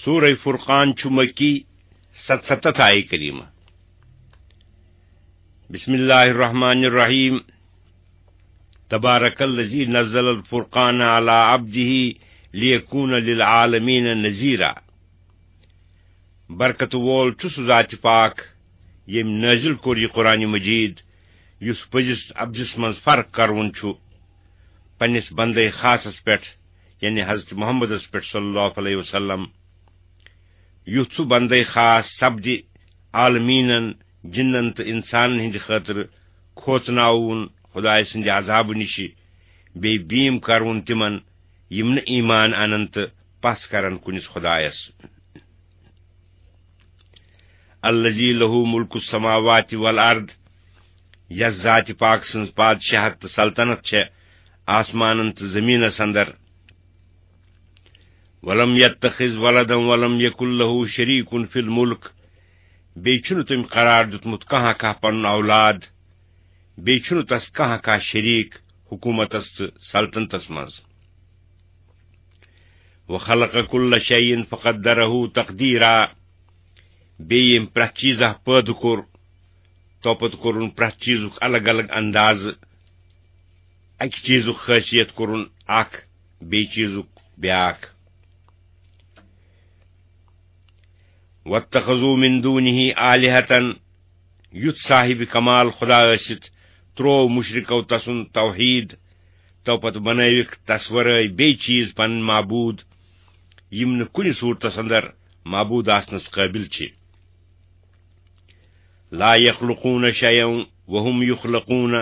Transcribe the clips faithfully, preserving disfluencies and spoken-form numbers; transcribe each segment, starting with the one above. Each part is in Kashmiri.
سورہ فرقان چھُ مکی، ستستتھ آیہِ کریمہ۔ بسم اللہ الرحمن الرحیم۔ تبارک الذی نزل الفرقان علی عبدہ لیکون للعالمین نذیرا۔ برکت وول چھُ سُہ ذات پاک، ییٚمۍ نٲزِل کوٚر یہِ قرآن مجید، یُس پٔزِس عبدس منٛز فرق کرون چھُ پننِس بندے خاصس پٮ۪ٹھ، یعنی حضرت محمدس پٮ۪ٹھ صلی اللہ علیہ وسلم۔ یُتھ سُہ بندے خاص سپدِ عالمیٖنن، جِنن تہٕ اِنسانن ہٕنٛدِ خٲطرٕ کھوژناوُن خۄدایہِ سٕنٛدِ عذابہٕ نِشہِ، بیٚیہِ بیٖم کرُن تِمن، یِم نہٕ ایمان انن تہٕ پژھ کرن کُنِس خۄدایس۔ الذی لہ ملک السماوات والارض، یس ذات پاک سٕنٛز پادشاہت تہٕ سلطنت چھےٚ آسمانن تہٕ زمینس اندر۔ ولم یتخذ ولدا ولم یکن لہ شریک فی الملک، بیٚیہِ چھُنہٕ تٔمۍ قرار دیُتمُت کانٛہہ کانٛہہ پنُن اولاد، بیٚیہِ چھُنہٕ تس کانٛہہ کانٛہہ شریک حکومتس تہٕ سلطنتس منٛز۔ وخلق کل شیء فقدره تقدیرا، بیٚیہِ ییٚمۍ پرٛٮ۪تھ چیٖزا پٲدٕ کوٚر، تو پتہٕ کوٚرُن پرٛٮ۪تھ چیٖزُک الگ الگ اندازٕ، اکہِ چیٖزُک خٲصیت کوٚرُن اکھ، بیٚیہِ چیٖزُک بیٛاکھ۔ واتخذوا من دونه آلهة، یُتھ صاحب کمال خدا ٲسِتھ، تروو مشرکو تسُنٛد توحید، تو پتہٕ بنٲوِکھ تس ورٲے بیٚیہِ چیٖز پنٕنۍ معبوٗد، یِم نہٕ کُنہِ صوٗرتس اندر معبوٗد آسنس قٲبِل چھِ۔ لا یخلقون شیئا وهم یخلقون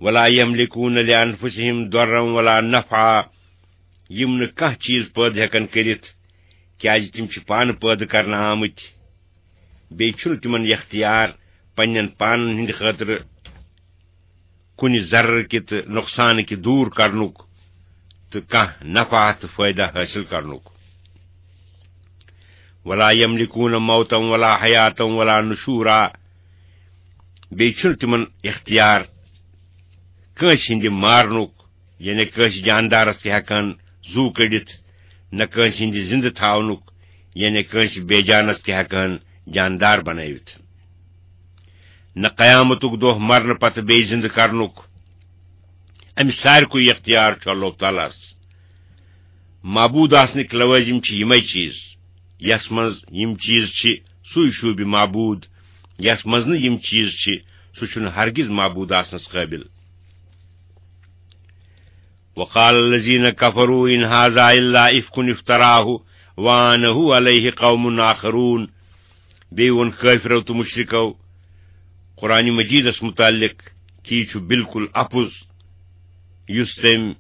ولا یملکون لانفسهم ضرا ولا نفعا، یِم نہٕ کانٛہہ چیٖز پٲدٕ ہٮ۪کن کٔرِتھ، کیازِ تِم چھِ پانہٕ پٲدٕ کرنہٕ آمٕتۍ۔ بیٚیہِ چھُنہٕ تِمن اختیار پننٮ۪ن پانن ہٕنٛدِ خٲطرٕ کُنہِ ضرر کہِ تہٕ نۄقصان کہِ دوٗر کرنُک تہٕ کانٛہہ نفع تہٕ فٲیدٕ حٲصِل کرنُک۔ ولا یملکون موتا ولا حیاتا ولا نشورا، بیٚیہِ چھُنہٕ تِمن اختیار کٲنٛسہِ ہٕنٛدِ مارنُک، یعنی کٲنٛسہِ جاندارس تہِ ہٮ۪کان زُو کٔڑِتھ، نہ کٲنٛسہِ ہٕنٛدِ زِندٕ تھاونُک، یعنی کٲنٛسہِ بے جانس تہِ ہٮ۪کان جاندار بنٲوِتھ۔ نہ قیامتُک دۄہ مرنہٕ پتہٕ بیٚیہِ زِندٕ کرنُک۔ امہِ سارِکُے اختیار چھُ اللہ تعالیٰ ہس۔ معبوٗد آسنٕکۍ لوٲزِم چھِ یِمے چیٖز، یس منٛز یِم چیٖز چھِ، سُے شوٗبہِ معبوٗد، یس منٛز نہٕ یِم چیٖز چھِ، سُہ چھُنہٕ ہرگز معبوٗد آسنس قٲبِل۔ وقال الذين كفروا إن هذا إلا إفك افتراه وأعانه عليه قوم آخرون۔ بیٚیہِ ووٚن کٲفرو تہٕ مُشرِکو قرآن مجیدس مُتعلق کہِ یہِ چھُ بالکل اَپُز، یُس تٔمۍ،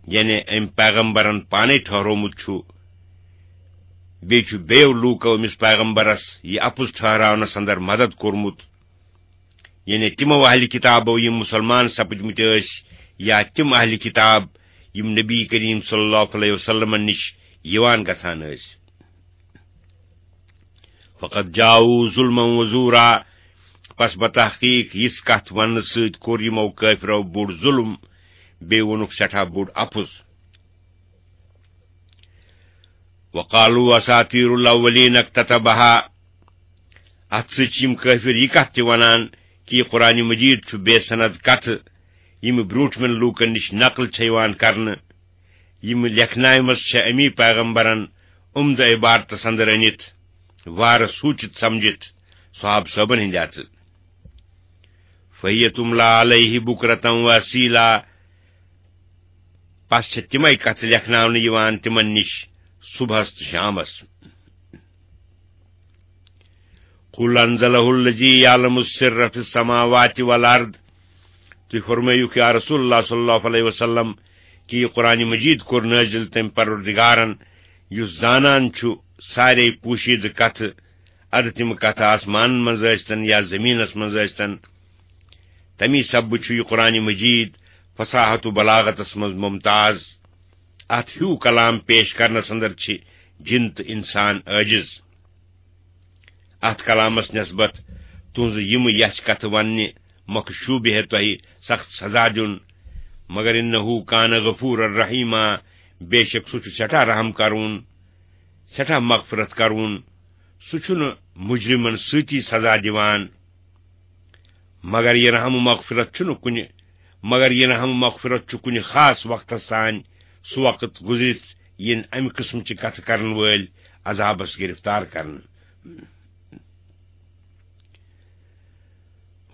یعنی أمۍ پیغمبرن پانے ٹھہرومُت چھُ۔ بیٚیہِ چھُ بیٚیو لوٗکو أمِس پیغمبرس یہِ اَپُز ٹھہراونس اندر مدد کوٚرمُت۔ یعنی تِمو اہلِ کتابو یِم مُسلمان سپٕدمٕتۍ ٲسۍ، یا تِم اہلِ کتاب یِم نبی کریم صلی اللہ علیہ وسلمن نِش یِوان گژھان ٲسۍ۔ فقد جاؤوا ظلما وزورا، پس بتحقیق یِژھ کتھ وننہٕ سۭتۍ کوٚر یِمو کٲفرو بوٚڑ ظلم، بیٚیہِ ووٚنُکھ سٮ۪ٹھاہ بوٚڑ اَپُز۔ وقالوا اساطیر الاولین اکتتبها۔ اتھ سۭتۍ چھِ یِم کٲفر یہِ کتھ تہِ ونان کہِ یہِ قرآن مجید چھُ بے سند کتھٕ، یِم برونٹھمٮ۪ن لوٗکن نِش نقل چھےٚ یِوان کرنہٕ، یِم لیکھناومژ چھےٚ امی پیغمبرن عمدٕ عبارتس اندر أنِتھ، وارٕ سوٗچِتھ سمجھِتھ صحابہٕ صٲبن ہٕنٛدِ اتھٕ۔ فہی تملا علیہ بکرة و اصیلا، پس چھِ تِمے کتھٕ لیکھناونہٕ یِوان تِمن نِش صبحس تہٕ شامس۔ قل انزله الذي يعلم السر في السماوات والارض۔ تُہۍ فرمٲیِو یا رسول اللہ صلی اللہ علیہ وسلم کہِ یہِ قرآن مجید کوٚر نٲزِل تٔمۍ پروردگارن، یُس زانان چھُ سارے پوشیدٕ کتھٕ، ادٕ تِم کتھٕ آسمانن منٛز ٲسۍتن یا زمینس منٛز ٲسۍتن۔ تمی سببہٕ چھُ یہِ قرآن مجید فصاحت و بلاغتس منٛز ممتاز۔ اتھ ہیوٗ کلام پیش کرنس اندر چھِ جِن تہٕ انسان عٲجز۔ اتھ کلامس نسبت تُہنٛزٕ یِم یژھِ کتھٕ وننہِ مۄکھٕ شوٗبہِ ہے تۄہہِ سخت سزا دیُن، مگر انہ کان غفورا رحیما، بے شک سُہ چھُ سٮ۪ٹھاہ رحم کرون۔ سٮ۪ٹھاہ مغفرت کرون، سُہ چھُنہٕ مجرمن سۭتی سزا دِوان۔ مگر یہِ رحم و مغفرت چھُنہٕ کُنہِ، مگر یہِ رحم و مغفرت چھُ کُنہِ خاص وقتس تام، سُہ وقت گُزرِتھ یِن امہِ قٕسمٕچہِ کتھٕ کرن وٲلۍ عذابس گرفتار کرنہٕ۔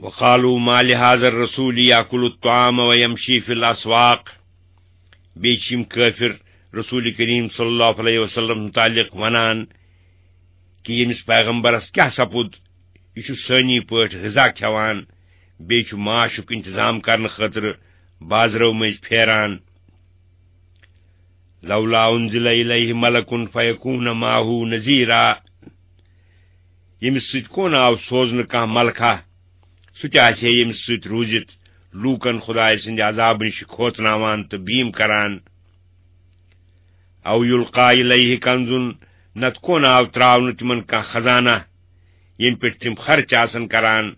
وقالوا ما لهذا الرسول يأكل الطعام ويمشي في الأسواق۔ بیٚیہِ چھِ یِم کٲفِر رسول کریم صلی اللہ علیہ وسلم متعلق ونان کہِ ییٚمِس پیغمبرس کیٛاہ سپُد، یہِ چھُ سٲنی پٲٹھۍ غذا کھٮ۪وان، بیٚیہِ چھُ معاشُک انتظام کرنہٕ خٲطرٕ بازرو مٔنٛزۍ پھیران۔ لولا انزل الیہ ملک فیکون معه نذیرا۔ ییٚمِس سۭتۍ کون آو سوزنہٕ کانٛہہ ملکہ، سُہ تہِ آسہِ ہے ییٚمِس سۭتۍ روٗزِتھ لوٗکن خدایہِ سٕنٛدِ عذابہٕ نِش کھوژناوان تہٕ بیٖم کران۔ او یلقا الیہ کنزن، نتہٕ کون آو تراونہٕ تِمن کانٛہہ خزانہ، ییٚمہِ پٮ۪ٹھ تِم خرچ آسن کران،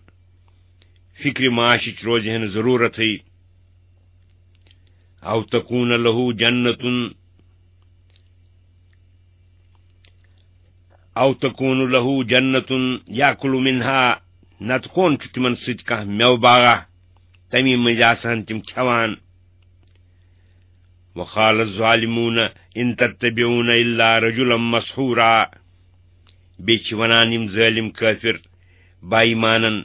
فکرِ معاشٕچ روزِ ہے نہٕ ضروٗرتھٕے۔ او تکون لہ جنتن، او تکون لہ جنتن یاکل منہا، نتہٕ کون چھُ تِمن سۭتۍ کانٛہہ مٮ۪وٕ باغا، تمی مٔنٛزۍ آسہٕ ہن تِم کھٮ۪وان۔ وقال الظالمون ان تتبعون الا رجلا مسحورا۔ بیٚیہِ چھِ وَنان یِم ظٲلِم کٲفِر با ایمانن،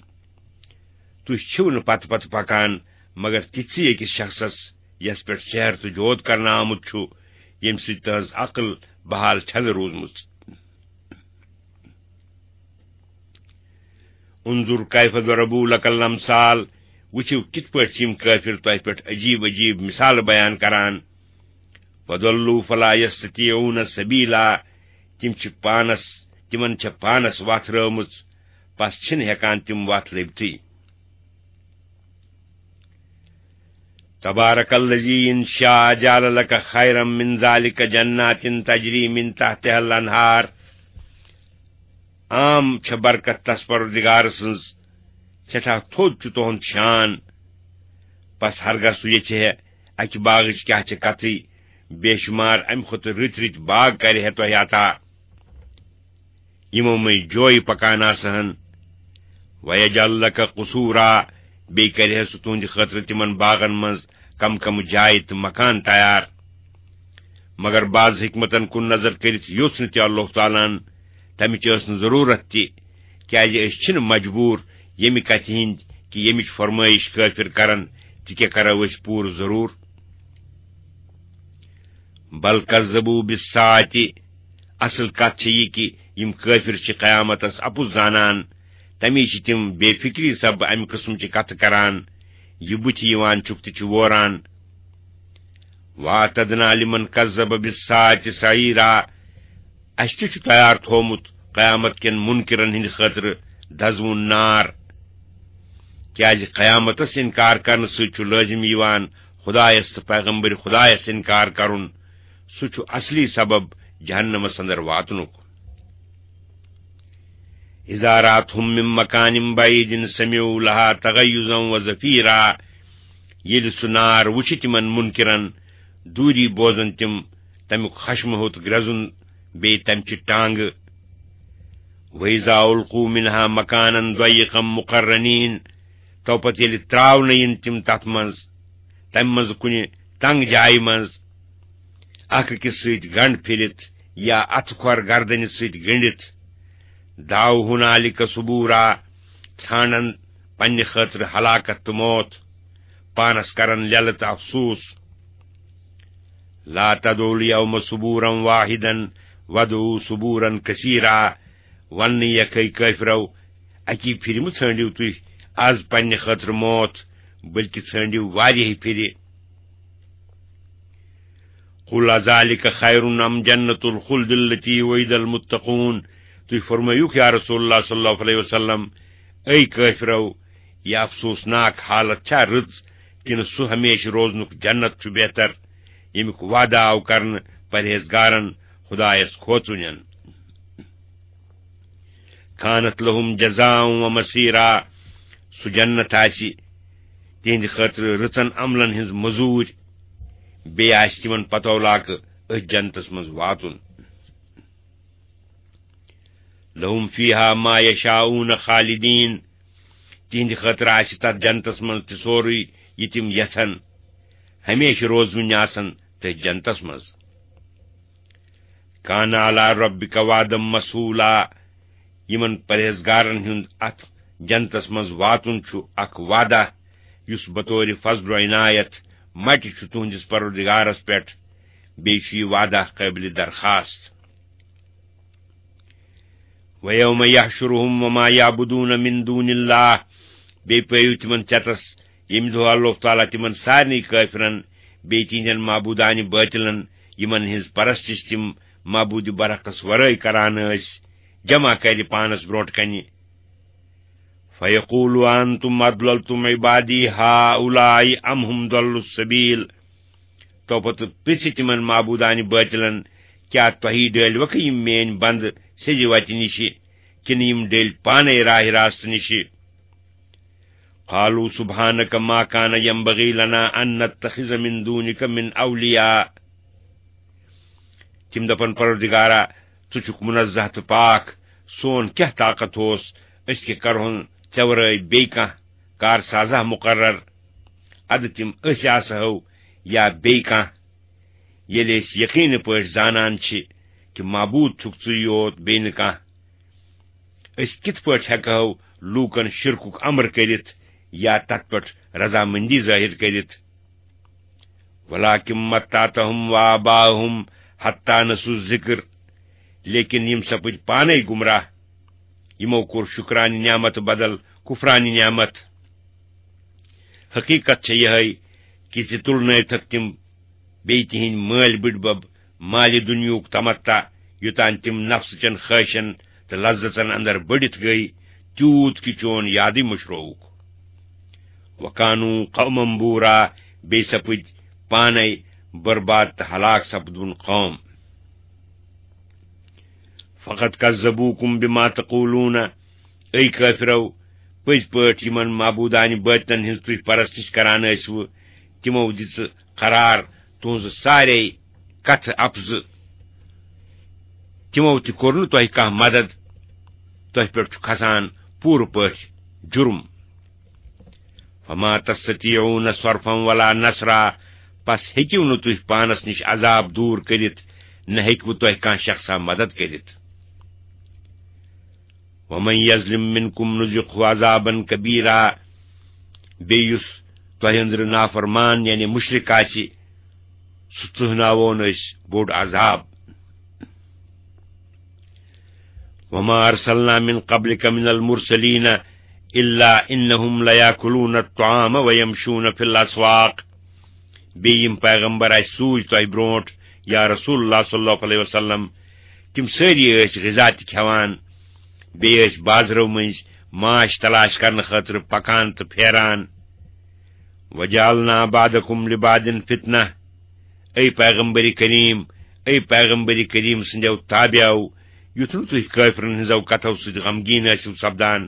تُہۍ چھِو نہٕ پتہٕ پتہٕ پکان مگر تِتھسٕے أکِس شخصس، یس پٮ۪ٹھ سحر تہٕ جود کرنہٕ آمُت چھُ، ییٚمہِ سۭتۍ تہنٛز عقل بحال چھنہٕ روٗزمٕژ۔ انظر کیف ضربوا لک الامثال، وٕچھِو کِتھ پٲٹھۍ چھِ یِم کٲفِر تۄہہِ پٮ۪ٹھ عجیٖب عجیٖب مثالہٕ بیان کران۔ فضلوا فلا یستطیعون سبیلا، تِم چھِ پانس، تِمن چھےٚ پانس وتھ رٲومٕژ، پس چھِنہٕ ہٮ۪کان تِم وتھ لٔبتھٕے۔ تبارک الذی ان شاء جعل لک خیرا من ذلک جنات تجری من تحتها الانہار۔ عام چھےٚ برکت تس پروردگار سٕنٛز، سٮ۪ٹھاہ تھوٚد چھُ تُہُنٛد شان۔ پس ہرگاہ سُہ یژھِ ہے اکہِ باغٕچ کیٛاہ چھِ کتھٕے، بے شمار امہِ کھۄتہٕ رٕتۍ رٕتۍ باغ کرِ ہے تۄہہِ عطا، یِمو مٔنٛزۍ جویہِ پکان آسہٕ ہن۔ ویجعل لک قصورا، بیٚیہِ کرِ ہے سُہ تُہنٛدِ خٲطرٕ تِمن باغن منٛز کم کم جایہِ تہٕ مکان تیار۔ مگر بعض حکمتن کُن نظر کٔرِتھ یوٚژھ نہٕ تہِ اللہ تعالیٰ ہن، تمِچ ٲس نہٕ ضروٗرت تہِ، کیازِ أسۍ چھِنہٕ مجبوٗر ییٚمہِ کتھِ ہٕنٛدۍ کہِ ییٚمِچ فرمٲیش کٲفِر کرن، تہِ کیٛاہ کرو أسۍ پوٗرٕ ضروٗر؟ بل کذبوا بالساعة، اصل کتھ چھِ یہِ کہِ یِم کٲفِر چھِ قیامتس اپُز زانان، تمی چھِ تِم بے فکری سببہٕ امہِ قٕسمچہِ کتھٕ کران، یہِ بُتھِ یِوان چھُکھ تہٕ چھِ ووران۔ واعتدنا لمن کذب بالساعة سعیرا، اسہِ تہِ چھُ تیار تھوومُت قیامت کٮ۪ن منکرن ہٕنٛدِ خٲطرٕ دزوُن نار۔ کیازِ قیامتس انکار کرنہٕ سۭتۍ چھُ لٲزم یِوان خدایس تہٕ پیغمبر خدایس انکار کرُن۔ سُہ چھُ اصلی سبب جہنمس اندر واتنُک۔ اذا راتهم من مکان بعید سمعوا لها تغیظا و زفیرا۔ ییٚلہِ سُہ نار وُچھِ تِمن منکرن، دوٗری بوزن تِم تمیُک خشمہٕ ہوٚت گرٛزُن، بیٚیہِ تمہِ چہِ ٹانگہٕ۔ وَإِذَا أُلْقُوا مِنْهَا مَكَانًا ضَيِّقًا مُقَرَّنِينَ، تو پتہٕ ییٚلہِ ترٛاونہٕ یِن تِم تتھ منٛز، تمہِ منٛز کُنہِ تنگ جایہِ منٛز، اکھ أکِس سۭتۍ گنڈ پھِرِتھ یا اتھٕ کھۄر گردنہِ سۭتۍ گٔنڈِتھ، دعوا هُنَالِكَ ثُبُورًا، ژھانڈن پننہِ خٲطرٕ ہلاکت تہٕ موت، پانس کرن لیلہٕ تہٕ افسوس۔ لا تدعوا اليوم ثبورا واحدا وادعوا ثبورا كثيرا۔ وننہٕ یکھے کٲفرو، اکی پھرِ مہٕ ژھٲنڈِو تُہۍ از پننہِ خٲطرٕ موت، بلکہِ ژھٲنڈِو واریاہہِ پھرِ۔ قل أذلك خير أم جنة الخلد التي وعد المتقون۔ تُہۍ فرمٲیِو یا رسول اللہ صلی اللہ علیہ وسلم، اے کٲفرو، یہِ افسوسناک حالت چھا رٕژ، کِنہٕ سُہ ہمیشہٕ روزنُک جنت چھُ بہتر، ییٚمیُک وعدٕ آو کرنہٕ پرہیزگارن، خدایس کھوژوٕنٮ۪ن؟ كانت لهم جزاء ومصيرا، سُہ جنت آسہِ تِہنٛدِ خٲطرٕ رٕژن عملن ہٕنٛز مٔزوٗرۍ، بیٚیہِ آسہِ تِمن پتو لاکہٕ أتھۍ جنتس منٛز واتُن۔ لهم فیہا ما یشاؤون خالدین، تِہنٛدِ خٲطرٕ آسہِ تتھ جنتس منٛز تہِ سورُے یہِ تِم یژھن، ہمیشہِ روزوٕنۍ آسن تٔتھۍ جنتس منٛز۔ کان علی ربک وعدا مسئولا، یِمن پرہیزگارن ہُنٛد اتھ جنتس منٛز واتُن چھُ اکھ وعدہ یُس بطور فضل و عنایت مٹہِ چھُ تُہنٛدِس پروردگارس پٮ۪ٹھ، بیٚیہِ چھُ یہِ وعدہ قٲبلِ درخواست۔ وَيَوْمَ يَحْشُرُهُمْ وَمَا يَعْبُدُونَ مِن دُونِ اللَّهِ، بیٚیہِ پٲیِو تِمن ژٮ۪تس، ییٚمہِ دۄہ اللہ تعالیٰ تِمن سارنٕے کٲفرن، بیٚیہِ تِہنٛدٮ۪ن معبوٗدانہِ بٲطِلن، یِمن ہٕنٛز پرستش تِم معبوٗدِ برحقس ورٲے کران ٲسۍ، جمع کرِ پانس برونٛٹھ کنہِ۔ فَيَقُولُوا أَنْتُمْ أَضْلَلْتُمْ عِبَادِي هَؤُلَاءِ أَمْ هُمْ ضَلُّوا السَّبِيلَ۔ تو پتہٕ پرژھِ تِمن معبوٗدانہِ بٲطِلن، کیٛاہ تۄہی ڈٲلۍ وکھٕ یِم میٲنۍ بندٕ سیٚزِ وتہِ نِشہِ، کِنہٕ یِم ڈٔلۍ پانے راہِ راستہٕ نِشہِ؟ قالوا سبحانك ما كان ينبغي لنا أن نتخذ من دونك من أولياء۔ تِم دپن، پروردگارا، ژٕ چھُکھ منزہ تہٕ پاک، سون کیٛاہ طاقت اوس، أسۍ کیٛاہ کرہون ژےٚ ورٲے بیٚیہِ کانٛہہ کارسازا مقرر؟ ادٕ تِم أسۍ آسہو یا بیٚیہِ کانٛہہ، ییٚلہِ أسۍ یقینہٕ پٲٹھۍ زانان چھِ کہِ معبوٗد چھُکھ ژٕے یوت، بیٚیہِ نہٕ کانٛہہ۔ أسۍ کِتھ پٲٹھۍ ہٮ۪کہو لوٗکن شرکُک امر کٔرِتھ یا تتھ پٮ۪ٹھ رضامندی ظٲہِر کٔرِتھ؟ ولكن متعتهم وآباءهم حتى نسوا الذكر، لیکن یِم سپٕدۍ پانے گمراہ، یِمو کوٚر شُکرانہِ نعمت بدل کفرانہِ نعمت۔ حقیقت چھےٚ یِہے کہِ زِ تُلنٲوتھکھ تِم بیٚیہِ تِہنٛدۍ مٲلۍ بٕڈبب مالہِ دُنیہُک تمتع، یوٚتام تِم نفسہٕ چٮ۪ن خٲہشن تہٕ لذژن اندر بٔڑِتھ گٔے، تیوٗت کہِ چون یادٕے مٔشرووُکھ۔ وَكَانُوا قَوْمًا بُورًا، بیٚیہِ سپٕدۍ پانے برباد تہٕ ہلاک سپدوُن قوم۔ فَقَدْ كَذَّبُوكُمْ بِمَا تَقُولُونَ، اے کٲفرو، پٔزۍ پٲٹھۍ یِمن معبوٗدانہِ بٲطِلن ہٕنٛز تُہۍ پرستش کران ٲسوٕ، تِمو دِژٕ قرار تُہنٛزٕ سارے کتھٕ اپزٕ۔ تِمو تہِ کوٚر نہٕ تۄہہِ کانٛہہ مدد، تۄہہِ پٮ۪ٹھ چھُ کھسان پوٗرٕ پٲٹھۍ جُرم۔ فما تستطيعون صرفا ولا نصرا، پس ہیٚکِو نہٕ تُہۍ پانس نِش عذاب دوٗر کٔرِتھ، نہ ہیٚکِوٕ تۄہہِ کانٛہہ شخصا مدد کٔرِتھ۔ ومن يظلم منكم نذقه عذابا كبيرا، بیٚیہِ یُس تۄہہِ أنٛدرٕ نافرمان یعنی مُشرِک آسہِ، سُہ ژٕہناوون أسۍ بوٚڑ عذاب۔ وما أرسلنا من قبلك من المرسلين إلا إنهم ليأكلون الطعام ويمشون في الأسواق۔ بیٚیہِ یِم پیغمبر اَسہِ سوٗزۍ تۄہہِ برونٛٹھ، یا رسول اللہ صلی اللہ علیہ وسلم، تِم سٲری ٲسۍ غذا تہِ کھٮ۪وان، بیٚیہِ ٲسۍ بازرو مٔنٛزۍ ماچھ تلاش کرنہٕ خٲطرٕ پکان تہٕ پھیران۔ وجعلنا بعضكم لبعض فتنة۔ اے پیغمبر کریم، اے پیغمبر کریم سٕنٛدیو تابعو، یُتھ نہٕ تُہۍ کٲفرن ہٕنٛزو کتھو سۭتۍ غمگیٖن ٲسِو سپدان،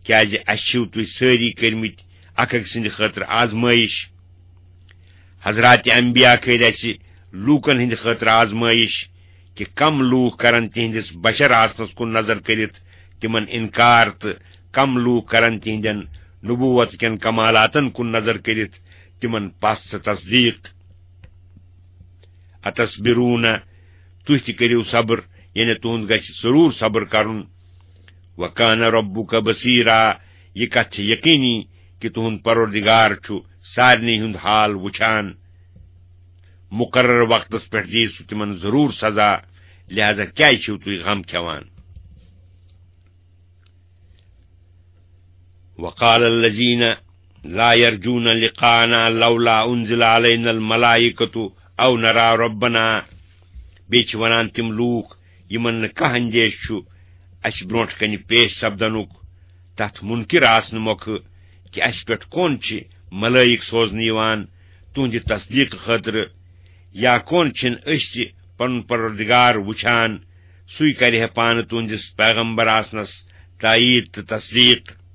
کیازِ اَسہِ چھِو تُہۍ سٲری کٔرمٕتۍ اکھ أکۍ سٕنٛدِ خٲطرٕ آزمٲیش۔ حضرات انبیاء کٔرۍ اَسہِ لوٗکن ہٕنٛدِ خٲطرٕ آزمٲیش کہِ کم لوٗکھ کرن تِہنٛدِس بشر آسنس کُن نظر کٔرِتھ تِمن انکار تہٕ کم لوٗکھ کرن تِہنٛدٮ۪ن نبوت کٮ۪ن کمالاتن کُن نظر کٔرِتھ تِمن پژھ تہٕ تصدیق۔ اتصبرون، تُہۍ تہِ کٔرِو صبر، یعنی تُہُنٛد گژھِ ضروٗر صبر کرُن۔ وکان ربک بصیرا، یہِ کتھ چھِ یقینی کہِ تُہُنٛد پروردگار چھُ سارنٕے ہُنٛد حال وُچھان۔ مقرر وقتس پٮ۪ٹھ دِیہِ سُہ تِمن ضروٗر سزا، لہذا کیازِ چھِو تُہۍ غم کھٮ۪وان؟ وقال الذين لا يرجون لقاءنا لولا أنزل علينا الملائكة أو نرى ربنا۔ بیٚیہِ چھِ وَنان تِم لوٗکھ، یِمَن نہٕ کانٛہہ اندیش چھُ اَسہِ برونٛٹھ کَنہِ پیش سپدنُک، تَتھ مُنکِر آسنہٕ مۄکھٕ کہِ اَسہِ پٮ۪ٹھ کون چھِ ملٲیِک سوزنہٕ یِوان تُہٕنٛدِ تصدیٖق خٲطرٕ، یا کون چھِن أسۍ تہِ پَنُن پروردگار وٕچھان، سُے کَرِ ہے پانہٕ تُہٕنٛدِس پیغمبر آسنَس تایید تہٕ تصدیٖق۔